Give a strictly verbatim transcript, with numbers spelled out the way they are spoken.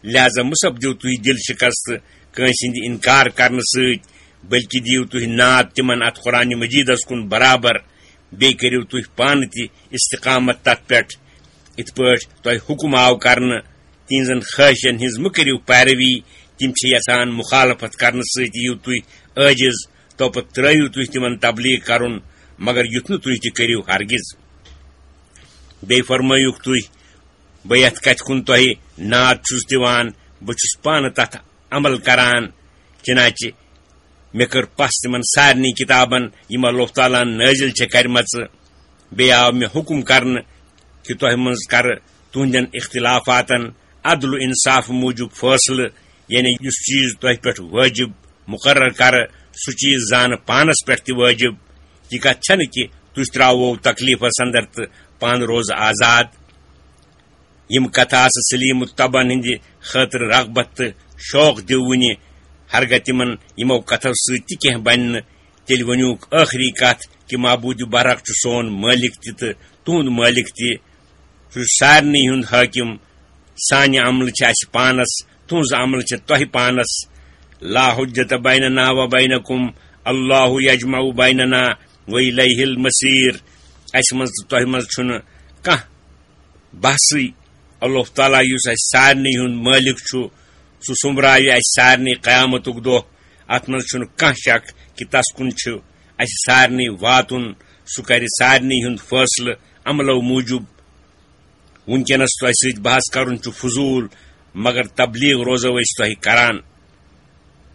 لہذا مہ سپدِو تُہۍ دِل شکست کٲنٛسہِ ہٕنٛدِ انکار کرنہٕ سۭتۍ، بلکہ دِیِو تُہۍ ناد تِمن اتھ قرآن مجیدس کُن برابر۔ بیٚیہِ کٔرِو تُہۍ پانہٕ تہِ استقامت تتھ پٮ۪ٹھ، یِتھ پٲٹھۍ تۄہہِ حکم آو کرنہٕ۔ تِہنٛزن خواہشن ہٕنٛز مہ کٔرِو پیروی، تِم چھِ یژھان مخالفت کرنہٕ سۭتۍ یِیِو تُہۍ عٲجز، توپتہٕ ترٲیِو تُہۍ تِمن تبلیغ کرُن، مگر یُتھ نہٕ تُہۍ تہِ کٔرِو ہرگز۔ بیٚیہِ فرمٲیِو تُہۍ، بہٕ یتھ کتھِ کُن تۄہہِ ناد چھُس دِوان، بہٕ چھُس پانہٕ تتھ عمل کران۔ چنانچہ مےٚ کٔر پژھ تِمن سارنٕے کتابن، یِم اللہ تعالیٰ ہن نٲزِل چھےٚ کرِمژٕ۔ بیٚیہِ آو مےٚ حکم کرنہٕ کہِ تۄہہِ منٛز کرٕ تُہنٛدٮ۪ن اختلافاتن عدل و انصاف موٗجوٗب فٲصلہٕ، یعنی یُس چیٖز تۄہہِ پٮ۪ٹھ وٲجِب مُقرر کرٕ، سُہ چیٖز زانہٕ پانس پٮ۪ٹھ تہِ وٲجِب۔ یہِ کتھ چھنہٕ کہِ تُہۍ ترٛاوو تکلیفس اندر تہٕ پانہٕ روزٕ آزاد۔ یِم کتھٕ آسہٕ سلیم الطبعن ہٕنٛدِ خٲطرٕ رغبت تہٕ شوق دِوٕنہِ۔ ہرگاہ تِمن یِمو کتھو سۭتۍ تہِ کینٛہہ بنہِ نہٕ، تیٚلہِ ؤنِوُکھ ٲخری کتھ کہِ معبوٗدِ برحق چھُ سون مٲلِک تہِ تہٕ تُہُنٛد مٲلِک تہِ۔ سُہ چھُ سارنٕے ہُنٛد حٲکِم۔ سانہِ عملہٕ چھِ اَسہِ پانَس، تُہٕنٛز عملہٕ چھِ تۄہہِ پانَس۔ لا حجت بیننا و بینکم، اللہ یجمع بیننا و الیہ المصیر۔ اَسہِ منٛز تہٕ تۄہہِ منٛز چھُنہٕ کانٛہہ بحثٕے۔ اللہ تعالیٰ یُس اَسہِ سارنٕے ہُنٛد مٲلِک چھُ، سُہ سوٚمبراوِ اَسہِ سارنٕے قیامتُک دۄہ۔ اَتھ منٛز چھُنہٕ کانٛہہ شک کہِ تَس کُن چھُ اَسہِ سارنٕے واتُن۔ سُہ کَرِ سارنٕے ہُنٛد فٲصلہٕ عملو موٗجوٗب۔ وٕنکیٚنَس تۄہہِ سۭتۍ بحث کَرُن چھُ فضوٗل، مگر تبلیغ روزو أسۍ تۄہہِ کران۔